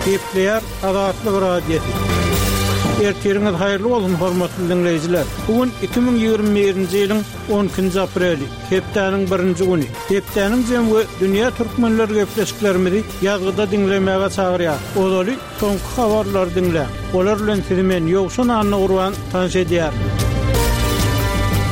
Gepleýär Azatlyk Radiosy. Ertiriňiz haýyrly bolsun, hormatly diňleýjiler! Bu gün 2021-nji ýylyň 12-nji apreli, hepdäniň birinji güni. Hepdäniň jemi we dünýä türkmenleri gepleşiklerimizi ýazgyda diňlemäge çagyrýar. Ozaly soňky habarlary diňläň. Olar bilen sizi men, Ýowşan Annagurban, tanyş edýärin.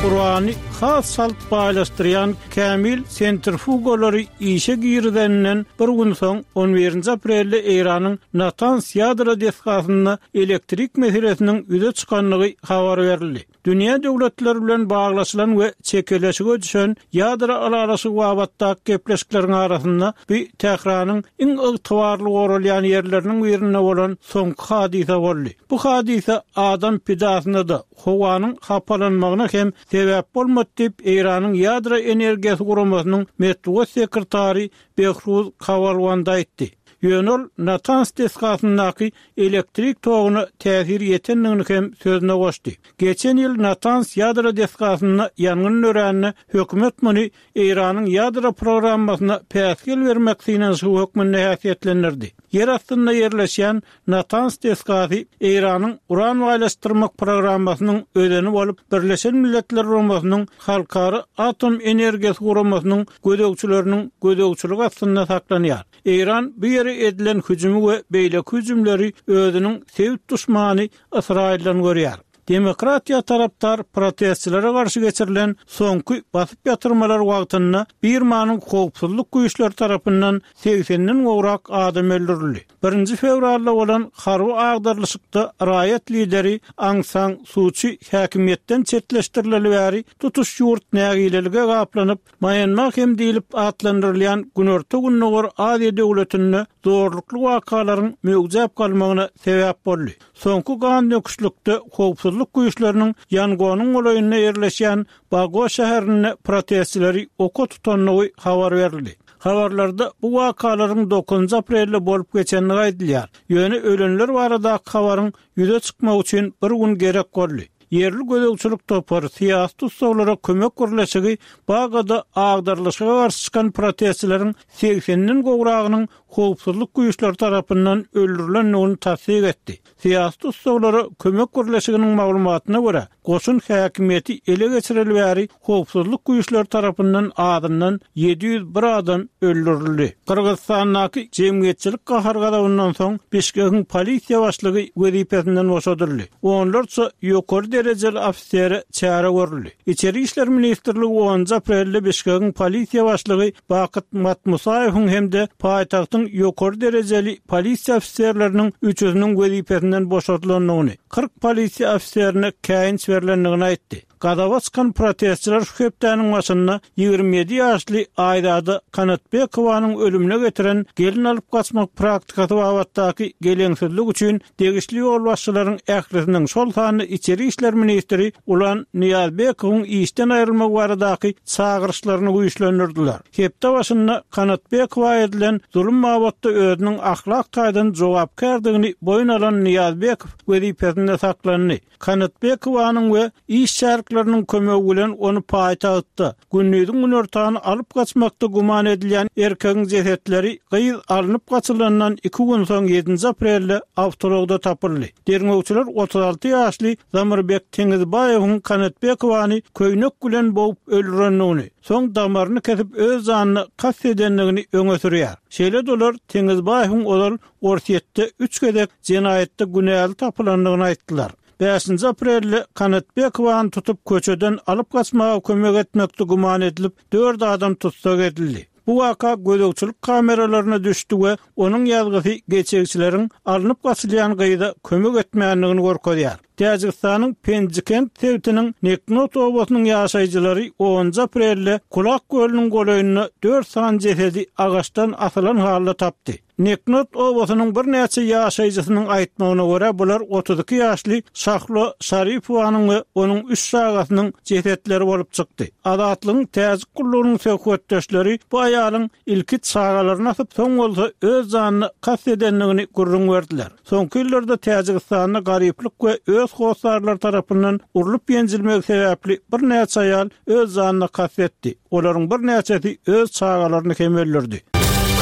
Urany has çalt baýlaşdyrýan kämil sentrifugalary işe girizeninden bir gün soň, on birinji aprelde Eýranyň Natans ýadro desgasynda elektrik meselesiniň ýüze çykandygy habar berildi. Dünýä döwletleri bilen baglaşylan we çekeleşige düşen ýadro ylalaşygy babatdaky gepleşikleriň arasynda bu Tähranyň iň ygtybarly goralýan ýerleriniň birinde bolan soňky hadysa boldy. Bu hadysa adam pidasyna-da, howanyň hapalanmagyna hem sebäp bolmady diýip, Eýranyň Ýadro energiýasy guramasynyň metbugat sekretary Behruz Kawalwand aýtdy. Ýöne ol Natans desgasyndaky elektrik toguna täsir ýetendigini hem sözüne goşdy. Geçen ýyl Natans ýadro desgasynda ýangyn dörände hökümet muny Eýranyň ýadro programmasyna päsgel bermek synanyşygy hökmünde häsiýetlendirdi. Ýer astynda ýerleşýän Natans desgasy Eýranyň uran baýlaşdyrmak programmasynyň özeni bolup, Birleşen Milletler Guramasynyň Halkara atom energiýasy guramasynyň gözegçileriniň gözegçiligi astynda saklanýar. Eýran bu ýere edilen hüjümi we beýleki hüjümleri özüniň sebit duşmany Ysraýyldan görýär. Demokratiýa tarapdar protestçilere garşy geçirilen soňky basyp ýatyrmalar wagtynda Birmanyň howpsuzlyk güýçleri tarapyndan segsenden gowrak adam öldürildi. Birinji fewralda bolan harby agdarylyşykda raýat lideri Aung San Su Çi häkimiýetden çetleşdirileli bäri tutuş ýurt nägilelige gaplanyp, Mýanma hem diýlip atlandyrylýan Günorta-Gündogar Aziýa döwletinde zorlukly wakalaryň möwjäp galmagyna sebäp boldy. Soňky gan döküşlikde howpsuzlyk güýçleriniň Ýangonyň golaýynda ýerleşýän Bago şäherinde protestçileri oka tutandygy habar berildi. Habarlarda bu wakalaryň dokuzynjy aprelde bolup geçendigi aýdylýar. Ýöne ölenler baradaky habaryň ýüze çykmagy üçin bir gün gerek boldy. Ýerli gözegçilik topary, syýasy tussaglara kömek birleşigi Bagada agdarylyşyga garşy çykan protestçileriň segsenden gowragynyň howpsuzlyk güýçleri tarapyndan öldürilendigini tassyk etdi. Syýasy tussaglara kömek birleşiginiň maglumatyna görä, goşun häkimiýeti ele geçireli bäri howpsuzlyk güýçleri tarapyndan azyndan 701 adam öldürildi. Gyrgyzystandaky jemgyýetçilik gahar-gazabyndan soň Bişkegiň polisiýa başlygy wezipesinden boşadyldy. Onlarça ýokary derejeli ofisere çäre görüldi. Içeri işler ministrligi onunjy aprelde Bişkegiň polisiýa başlygy Bakyt Matmusaýewiň hem-de paýtagtyň ýokary derejeli polisiýa ofiserleriniň üçüsiniň wezipesinden boşadylandygyny, 40 polisiýa ofiserine käýinç berlendigini aýtdy. Gazaba çykan protestçiler şu hepdäniň başynda 27 ýaşly Aýzada Kanatbekowanyň ölümine getiren gelin alyp gaçmak praktikasy babatdaky geleňsizlik üçin degişli ýolbaşçylaryň ählisiniň, şol sanda içeri işler ministri Ulan Nyýazbekowyň işden aýrylmagy baradaky çagyryşlaryny güýçlendirdiler. Hepde başynda Kanatbekowa edilen zulum babatda özüniň ahlak taýdan jogapkärdigini boýun alan Nyýazbekow wezipesinde saklandy. Kanatbekowanyň we iş şärikleriniň kömegi bilen ony paýtagtda, gündiziň günortany alyp gaçmakda güman edilýän erkegiň jesetleri gyz alnyp gaçylandan iki gün soň ýedinji aprelde awtoulagda tapyldy. Derňewçiler 36 ýaşly Zamirbek Teňizbaýewiň Kanatbekowany köýnek bilen bogup öldürendigini, soň damaryny kesip öz janyna kast edendigini öňe sürýär. Şeýle-de olar Teňizbaýewiň ozal Orsýetde üç gezek jenaýatda günäli tapylandygyny aýtdylar. Bäşinji aprelde Kanatbekowany tutup köçeden alyp gaçmaga kömek etmekde güman edilip, dört adam tussag edildi. Bu waka gözegçilik kameralaryna düşdi we onuň ýazgysy geçegçileriň alnyp gaçylýan gyza kömek etmändigini görkezýär. Täjigistanyň Penjikent sebitiniň Neknot obasynyň ýaşaýjylary onunjy aprelde Kulak kölüniň golaýynda dört sany jesedi agaçdan asylan halda tapdy. Neknot obasynyň birnäçe ýaşaýjysynyň aýtmagyna görä, bular 32 ýaşly Şahlo Şaripowanyň we onuň üç çagasynyň jesetleri bolup çykdy. Azatlygyň Täjik gullugynyň söhbetdeşleri bu aýalyň ilki çagalaryny asyp, soň bolsa öz janyna kast edendigini gürrüň berdiler. Soňky ýyllarda Täjigistanda garyplyk we öz hossarlary tarapyndan urlup-ýenjilmegi sebäpli birnäçe aýal öz janyna kast etdi. Olaryň birnäçesi öz çagalaryny hem öldürdi.